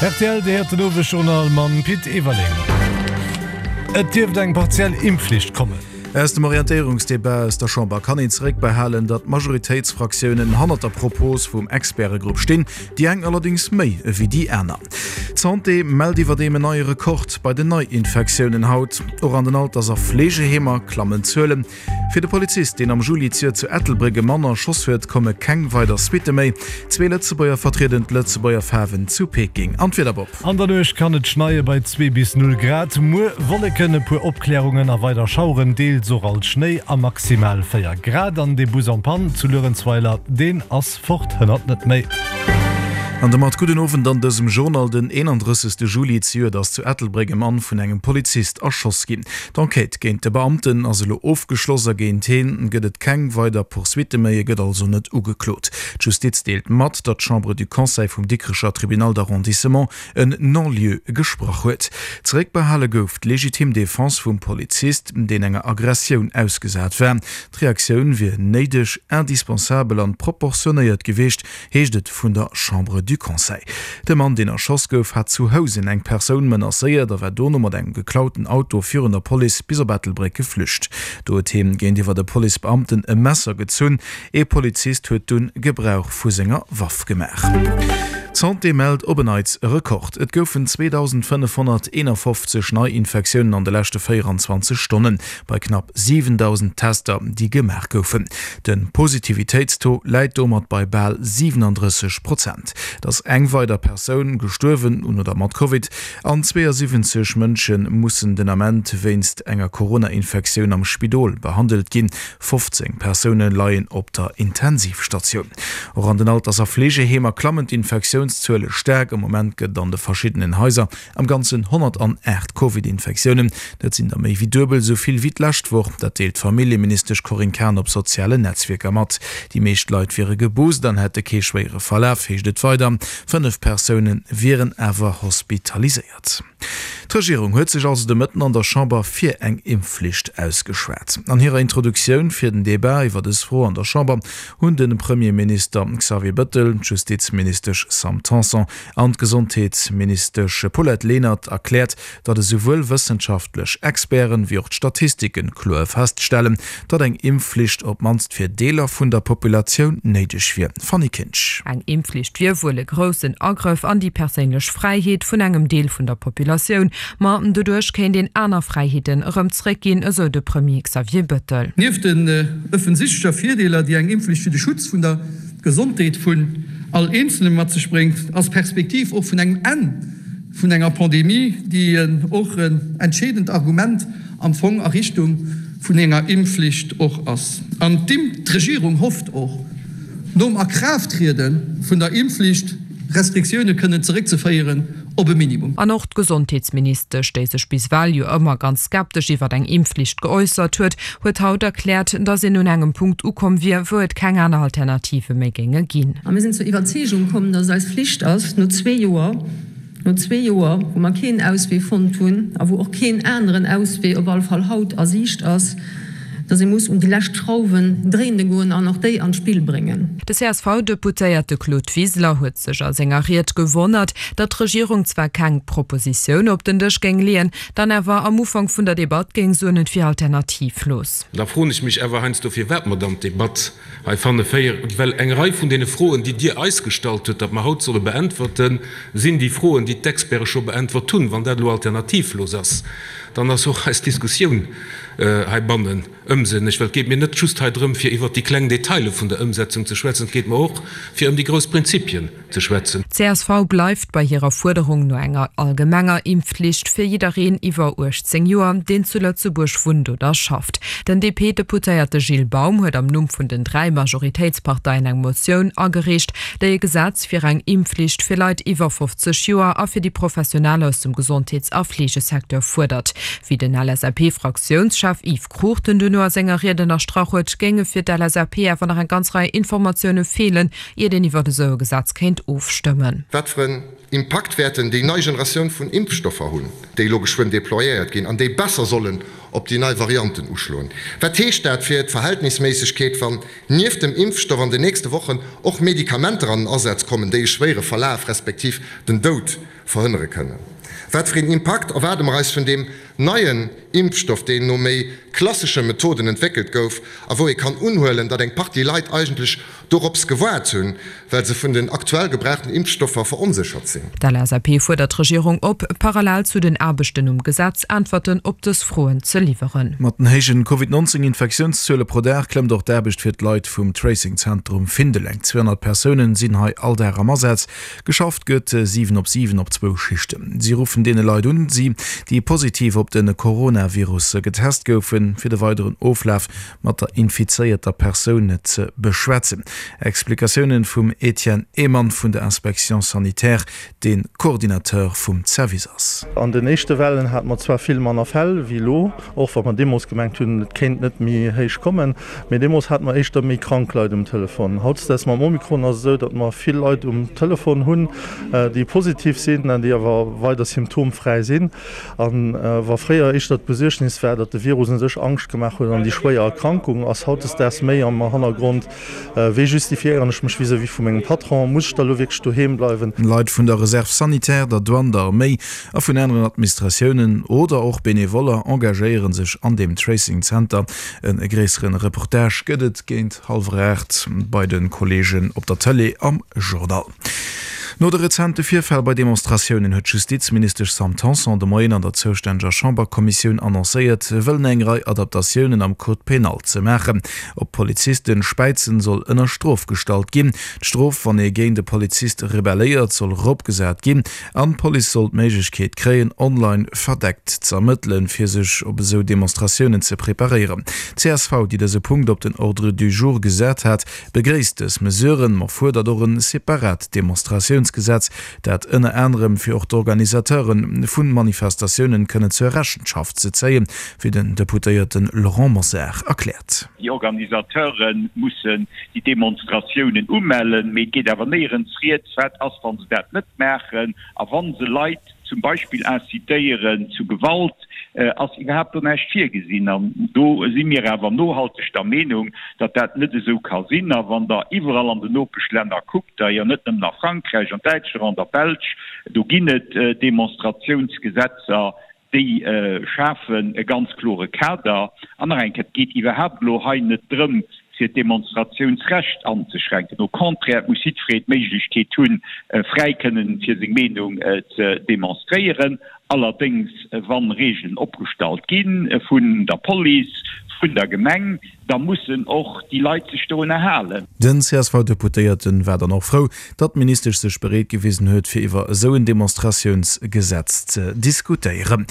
Rtl, Dir héiert den Owesjournal mam Pit Everling. Et dierft eng partiell Impfflicht kommen. Aus dem Orientéierungsdebat aus der Chamber kann een zeréckbehalen, datt d'Majoritéitsfraktiounen hannert der Propos vum Expertegrupp stinn, déi eng allerdéngs méi ewéi déi aner. D'Santé mellt iwwerdeem en neie Rekord bei den Neiinfektiounen haut. Och an den Alters a Fleegeheemer klammen d'Zuelen. Fir de Polizist, deen am Juli zejoert zu Ettelbréck e Mann erschoss huet, komme keng weider Suitte méi. Zwee Lëtzebuerger vertrieden d'Lëtzebuerger Faarwen zu Peking. An d'Wieder, Bob? An der Nuecht kann et schneie bei 2 bis 0 Grad. Muer Wolleken, e puer Opklärungen a weider Schaueren, deels och alt Schnéi a maximal 4 Grad. An dee Bus en panne zu Luerenzweiler, deen ass fort, hënnert net méi. An domat gudden Owend an dësem Journal. Den 31. Juli zejoert ass zu Ettelbréck e Mann vun engem Polizist erschoss ginn. D'Enquête géint de Beamten ass elo ofgeschloss a géint heen gëtt et keng weider Poursuitte méi. E gëtt also net ugeklot. D'Justiz deelt mat, datt d'Chambre du Conseil vum Dikrecher Tribunal d'arrondissement en Non-lieu gesprach huet. Zeréckbehale gouf d'legitim Defense vum Polizist, deen enger Aggressioun ausgesat war. D'Reaktioun wier néideg, indispensabel an proportionéiert gewiescht, heescht et vun der Chambre du Conseil. De Mann, deen erschoss gouf, hat zu Housen eng Persoun menacéiert a war dono mat engem geklauten Auto virun der Police bis op Ettelbréck geflücht. Do huet hien géintiwwer de Policebeamten e Messer gezunn. Ee Polizist huet dunn Gebrauch vu senger Waff gemaach. D'Santé mellt op en Neits e Rekord. Et goufen 2.551 Neiinfektiounen an de leschte 24 Stonnen, bei knapp 7.000 Tester, déi gemaach goufen. De Positivitéitstaux läit domat bei bal 37 Prozent. Et ass eng weider Persoun gestuerwen un oder mat Covid an 72 Mënsche mussen den Ament wéinst enger Corona-Infektioun am Spidol behandelt ginn. 15 Persoune leien op der Intensivstatioun. Och an den Alters a Fleegeheemer klammen d'Infektiounszuele staark. Am Moment gëtt et an de verschiddenen Haiser am Ganzen 108 Covid-Infektiounen. Dat sinn der méi wéi duebel esou vill wéi d'lescht Woch. Dat deelt d'Familljeministesch Corinne Cahen op sozialen Netzwierker mat. Déi meescht Leit wiere geboost an hätte kee schwéiere Verlaf, heescht et weider. 5 Persoune wieren awer hospitaliséiert. D'Regierung huet sech also de Mëtten an der Chamber fir eng Impfflicht ausgeschwat. An hirer Introduktioun fir den Debat iwwer dës Fro an der Chamber hunn de Premierminister Xavier Bëttel, d'Justizministesch Sam Tanson an d'Gesondheetsministesch Paulette Lenert erkläert, datt esouwuel wëssenschaftlech Experten wéi och d'Statistike kloer feststellen, datt eng Impfflicht op d'mannst fir Deeler vun der Populatioun néideg wier. Fanny Kinsch. Eng Impfflicht wier wuel e groussen Agrëff an déi perséinlech Fräiheet vun engem Deel vun der Populatioun, ma doduerch kéint een aner Fräiheeten erëm zréckginn, esou de Premier Xavier Bëttel. Nieft den offensichtlecher Virdeeler, déi eng Impfflicht fir de Schutz vun der Gesondheet vun all Eenzelnem mat sech bréngt, ass d'Perspektiv och vun engem Enn vun enger Pandemie, déi och en entscheedend Argument am Fong a Richtung vun enger Impfflicht och ass. An d'Regierung hofft och, nom Akraafttriede vun der Impfflicht Restriktioune kënnen zeréckzeféieren op e Minimum. An och d'Gesondheetsministesch, déi sech bis ewell jo ëmmer ganz skeptesch iwwer eng Impfflicht geäussert huet, huet haut erkläert, datt een un engem Punkt ukomm wier, wou et keng aner Alternative méi géinge ginn. A mir sinn zur Iwwerzeegung komm, datt et eis Flicht ass, no zwee Joer, No zwee Joer, wou mer keen Auswee fonnt hunn a wou och keen aneren Auswee, op alle Fall haut, a Siicht ass, dass ee muss un déi lescht Schrauwen dréine goen an och déi an d'Spill bréngen. De CSV-Deputéierte Claude Wiseler huet sech a senger Ried gewonnert, datt d'Regierung zwar keng Propositioun op den Dësch géing leeën, dann awer am Ufank vun der Debatt géing soen, et wier alternativlos. Da froen ech mech awer heiansdo, firwat mer dann d'Debatt hei fanne féieren, well eng Rei vun deene Froen, déi Dir eis gestallt hutt, datt mer haut solle beäntwerten, sinn déi Froen, déi d'Experte scho beäntwert hunn. Wann dat elo alternativlos ass, dann ass och eis Diskussioun heibannen ëmsënneg, well et geet mir net just hei drëm, fir iwwert déi kleng Detaile vun der Ëmsetzung ze schwätzen, et geet mer och, fir ëm déi grouss Prinzipien ze schwätzen. D'CSV bleift bei hirer Fuerderung no enger allgemenger Impfflicht fir jiddereen iwwer 18 Joer, deen zu Lëtzebuerg wunnt oder schafft. Den DP-Deputéierte Gilles Baum huet am Numm vun den 3 Majoritéitsparteien eng Motioun agereecht, déi e Gesetz fir eng Impfflicht fir Leit iwwer 50 Joer a fir déi Professionell aus dem Gesondheets a Fleegesecteur fuerdert. Wéi den LSAP-Fraktiounschef Yves Cruchten duerno a senger Ried ënnerstrach huet, géinge fir d'LSAP awer nach eng ganz Rei Informatioune feelen, iert een iwwert esou e Gesetz kéint ofstëmmen. Wat fir en Impakt wäerten déi nei Generatioun vun Impfstoffer hunn, déi elo geschwënn déployéiert ginn an déi besser sollen. op déi nei Varianten uschloen? Wat heescht dat fir d'Verhältnisméissegkeet, wann nieft dem Impfstoff an den nächste Wochen och Medikamenter an den Asaz kommen, déi e schwéiere Verlaf respektiv den Doud verhënnere kënnen? Wat fir een Impakt erwaarde mer eis vun deem neien Impfstoff, deen no méi klassesche Methoden entwéckelt gouf a wou ee kann unhuelen, datt eng Partie Leit eigentlech dorops gewaart hunn, well se vun den aktuell gebrauchten Impfstoffer veronséchert sinn. D'LSAP fuerdert d'Regierung op, parallel zu den Aarbechten um Gesetz Äntwerten op dës Froen ze liwweren. Mat den héijen Covid 19 Infektiounszuele pro Dag klëmmt och d'Aarbecht fir d'Leit vum Tracing Zentrum Findeleng. 200 Persounen sinn hei all Dag am Asaz. Geschafft gëtt 7 op 7 op zwou Schichten. Si ruffen deene Leit un, si déi positiv op de Coronavirus getest goufen, fir de weideren Oflaf mat der infizéierter Persoun ze beschwätzen. Explikatiounen vum Etienne Ehmann vun der Inspection sanitaire, dee Coordinateur vum Service ass. An den éischte Wellen hate mer zwar vill manner Fäll wéi elo, och wa mer deemools gemengt hunn, et kéint net méi héich kommen, mee deemools hate mer éischter méi krank Leit um Telefon. Hautdesdaags mam Omikron ass et esou, datt mer vill Leit um Telefon hunn, déi positiv sinn an déi awer weider symptomfräi sinn. A wa fréier éischter d'Besuergnis war, datt de Virus u sech Angscht gemaach huet an déi schwéier Erkrankung, ass hautdesdaags méi am Hannergrond, Wéi justifiéieren ech mech vis-à-vis vu mengem Patron? Muss ech da lo wierklech doheem bleiwen? Leit vun der Reserve sanitaire, der Douane, der Arméi a vun aneren Administratiounen oder och Benevoller engagéiere sech an deem Tracing Center. E gréissere Reportage gëtt et géint hallwer 8 bei de Kolleegen op der Tëlee am Journal. No de rezente Virfäll bei Demonstratiounen huet d'Justizministesch Sam Tanson de Moien an der zoustänneger Chamberkommissioun annoncéiert, wëllen eng Rei Adaptatiounen am Code pénal ze maachen. Op Polizisten späizen soll ënner Strof gestallt ginn, d'Strof wann ee géint e Polizist rebelléiert soll eropgesat ginn an d'Police soll d'Méiglechkeet kréien online verdeckt z'ermëttelen, fir sech op esou Demonstratiounen ze preparéieren. Csv, déi dëse Punkt op den Ordre du jour gesat hat, Begréisst dës Mesuren, ma fuerdert och en separat Demonstratiounsgesetz, dat ënner anerem fir och d'Organisateure vu Manifestatiounen kënnen zur Rechenschaft ze zéien, wéi den Deputéierte Laurent Mosar erkläert. Déi Organisateure mussen déi Demonstratiounen umellen, mee et geet awer néierens rieds, wat ass, wa se dat net maachen a wa se Leit zum Beispill incitéieren zu Gewalt, ass iwwerhaapt do näischt virgesinn. An do si mir awer nohalteg der Meenung, datt dat net esou ka sinn. A wann Der iwwerall an den Nopeschlänner kuckt, d'ailleurs net nëmmen a Frankräich, an Däitschland, an der Belsch, do ginn et Demonstratiounsgesetzer, déi schafen e ganz klore Kader. An nach eng Kéier, et geet iwwerhaapt elo hei net drëm, fir d'Demonstratiounsrecht anzeschränken. Au contraire, et muss jiddweree d'Méiglechkeet hunn, fräi kënnen fir seng Meenung ze demonstréieren. Allerdéngs, wa Regeln opgestallt gi vun der Police, vun der Gemeng, da mussen och déi Leit sech dorunner halen. Den CSV-Deputéierte war dann och frou, datt d'Ministesch sech bereet gewisen huet, fir iwwer esou en Demonstratiounsgesetz ze diskutéieren.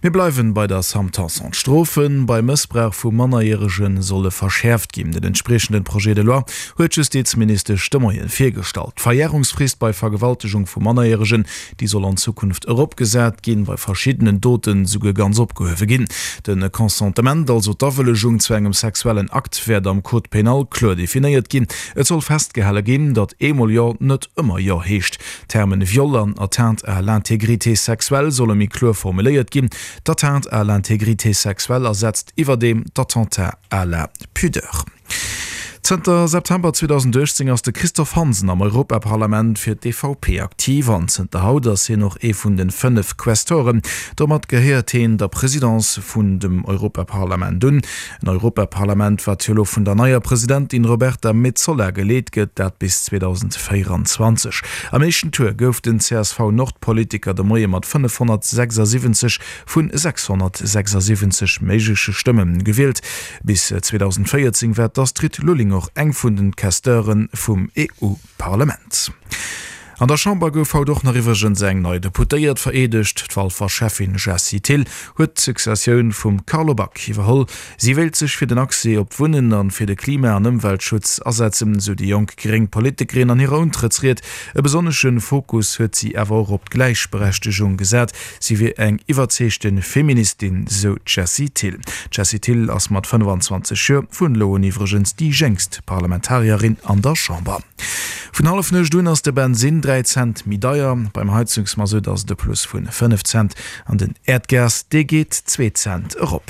Mir bleiwen bei der Sam Tanson. D'Strofe bei Mëssbrauch vu Mannerjärege solle verschäerft ginn. Den entspriechenden Projet de loi huet d'Justizministesch de Moien virgestallt. D'Verjärungsfrist bei Vergewaltegung vu Mannerjäregen, déi soll an Zukunft eropgesat ginn, bei verschiddenen Doten souguer ganz opgehuewe ginn. De Consentement, also d'Awëllegung zu engem sexuellen Akt, wäert am Code pénal kloer definéiert ginn. Et soll festgehale ginn, datt eemol Jo net ëmmer Jo heescht. D'Termen Viol an Atteinte à l'intégrité sexuelle solle méi kloer formuléiert ginn. D'Atteinte à l'intégrité sexuelle ersetzt iwwerdeem d'Attentat à la pudeur. Zënter September 2018 ass de Christophe Hansen am Europaparlament fir d'EVP aktiv an zënter haut ass hien och ee vun den 5 Questoren. Domat gehéiert heen der Presidence vun dem Europaparlament un. En Europaparlament, wat jo elo vun der neier Presidentin Roberta Metsola geleet gëtt, dat bis 2024. Am éischten Tour gouf den CSV-Nordpolitiker de Moie mat 576 vun 676 méigleche Stëmme gewielt. Bis 2014 war d'Astrid Lulling och eng vun den Questeure vum EU-Parlament. An der Chamber gouf haut och nach iwwregens eng nei Deputéiert vereedegt. D'Walfer Schäffin Jessie Thill huet d'Successioun vum Carlo Back iwwerholl. Si wéilt sech fir den Accès op d'Wunnen an fir de Klima an Ëmweltschutz asetzen, sou déi jonk gréng Politikerin an hirer Untrëttsried. E besonnesche Fokus huet si awer och op d'Gläichberechtegung gesat. Si wier eng iwwerzeegte Feministin, sou d'Jessie Thill. D'Jessie Thill ass mat 25 Joer vun elo un iwwregens déi jéngst Parlamentarierin an der Chamber. Vun Hallefnuecht un ass de Bensinn 3. 3 Cent méi deier. Beim Heizungsmasutt ass et e Plus vu 5 Cent an den Äerdgas, dee geet 2 Cent erop.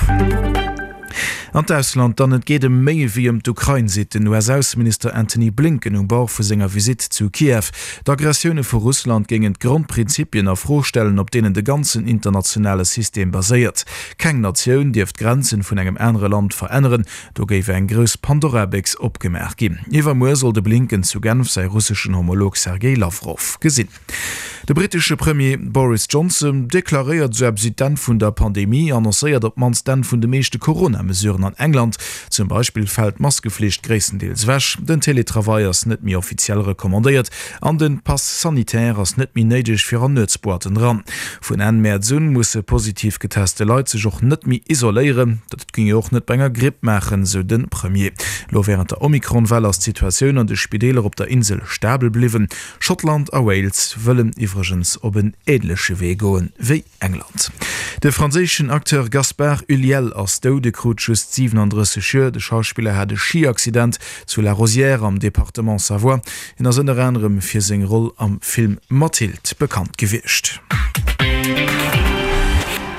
An d'Ausland dann, Et geet ëm méi ewéi ëm d'Ukrain, seet den US-Ausseminister Antony Blinken um Bord vu senger Visitt zu Kiew. D'Aggressioune vu Russland géingen d'Grondprinzipien a Fro stellen, op deenen de ganzen internationale System baséiert. Keng Natioun dierf d'Grenzen vun engem anere Land veränneren. Do géif eng grouss Pandora-Béchs opgemaach ginn. Iwwermuer soll de Blinken zu Genf säi russeschen Homolog Sergej Lawrow gesinn. De brittesche Premier Boris Johnson deklaréiert esou eppes wéi d'Enn vun der Pandemie, annoncéiert op d'mannst d'Enn vun de meeschte Corona-Mesuren an England. Zum Beispill fält d'Maskeflicht gréisstendeels ewech, den Teletravail ass net méi offiziell recommandéiert an de Pass sanitaire ass net méi néideg fir an Nuetsboîten eran. Vun Enn Mäerz un musse positiv geteste Leit sech och net méi isoléieren. Dat géing ee och net bei enger Gripp maachen, sou de Premier. Elo wärend der Omikron-Well ass d'Situatioun an de Spideeler op der Insel stabel bliwwen. Schottland a Wales wëllen iwwregens op en änleche Wee goen wéi England. De franséischen Acteur Gaspard Ulliel ass dout. E krut just 37 Joer. De Schauspiller hat e Schi-Accident zu La Rosière am Departement Savoie. Hien ass ënner anerem fir seng Roll am Film Mathilde bekannt gewiescht.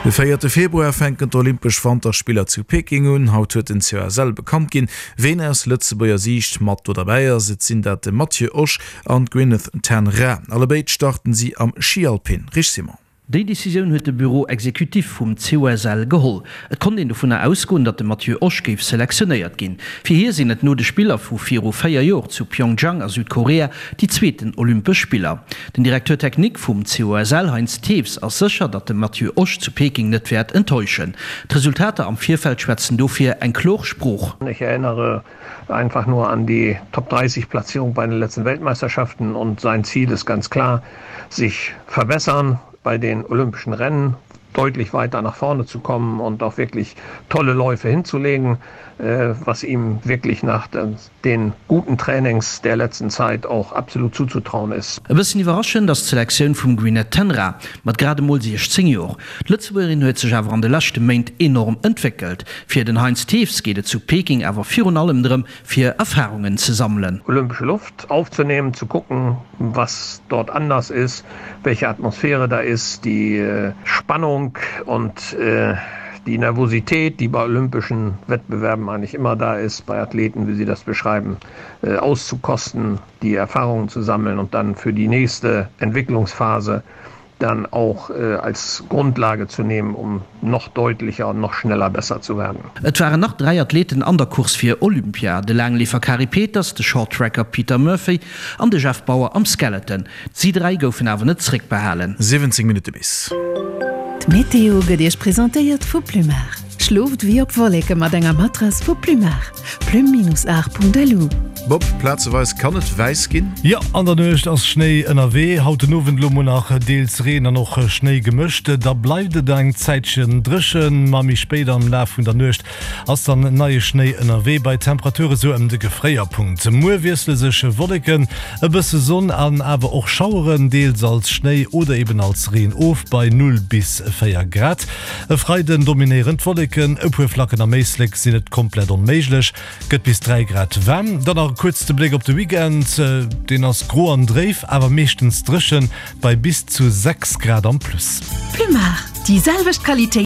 De véierte Februar fänken d'Olympesch Wanterspiller zu Peking un. Haut huet den COSL bekannt ginn, ween aus Lëtzebuerger Siicht mat do derbäi ass. Et sinn dat de Matthieu Osch an d'Gwyneth Ten Raa. Allebéid starten si am Schi Alpin. Rich Simon. Déi Decisioun huet de Bureau exécutif vum COSL geholl. Et konnt een dovunner ausgoen, datt de Matthieu Osch géif selektionéiert ginn. Fir hie sinn et no de Spiller vu viru 4 Joer zu Pyeongchang a Südkorea déi zweeten Olympesch Spiller. Den Directeur technique vum COSL Heinz Thews ass sécher, datt de Matthieu Osch zu Peking net wäert enttäuschen. D'Resultater am Virfeld schwätzen dofir eng klor Sprooch. Ich erinnere einfach nur an die Top 30 Platzierung bei den letzten Weltmeisterschaften und sein Ziel ist ganz klar, sich verbessern bei den olympischen Rennen, deutlich weiter nach vorne zu kommen und auch wirklich tolle Läufe hinzulegen, äh, was ihm wirklich nach den guten Trainings der letzten Zeit auch absolut zuzutrauen ist. E bëssen iwwerraschend ass d'Selektioun vum Gwyneth Ten Raa mat grad emol 16 Joer. D'Lëtzebuergerin huet sech awer an de leschte Méint enorm entwéckelt. Fir den Heinz Thews geet et zu Peking awer virun allem drëm, fir Erfarungen ze sammelen. Olympische Luft aufzunehmen, zu gucken, was dort anders ist, welche Atmosphäre da ist, die Spannung und die Nervosität, die bei olympischen Wettbewerben eigentlich immer da ist, bei Athleten, wie sie das beschreiben, auszukosten, die Erfahrungen zu sammeln und dann für die nächste Entwicklungsphase dann auch als Grundlage zu nehmen, um noch deutlicher und noch schneller besser zu werden. Et waren nach 3 Athleten an der Course fir Olympia, de Laangleefer Kari Peters, de Shorttracker Peter Murphy an de Jeff Bauer am Skeleton. Si 3 goufen awer net zréckbehalen. 17 Minutte bis. D'Meteo gëtt Iech presentéiert vu Plumar. Schlooft wéi op Wolleke mat enger Matrass vu Plumar. Plume-art.lu. Bob, Plazeweis kann et wäiss ginn. Jo, an der Nuecht ass Schnéi ënnerwee. Haut den Owend elo mol nach deels Reen an och Schnéi gemëscht. Da bleift et eng Zäitchen dréchen, ma méi spéit am Laf vun der Nuecht ass dann neie Schnéi ënnerwee bei Temperature sou ëm de Gefréierpunkt. Muer wiessle sech Wolleken, e bësse Sonn an awer och Schaueren, deels als Schnéi oder eben als Reen of, bei 0 bis 4 Grad. E Freiden dominéieren d'Wolleken, e puer Flacken am Éislek sinn net komplett onméiglech, gëtt bis 3 Grad waarm. Dann nach e kuerze Bléck op de Weekend, deen ass gro an dréif, awer meeschtens dréchen bei bis zu 6 Grad am Plus. Plumar, déi selwecht Qualitéit.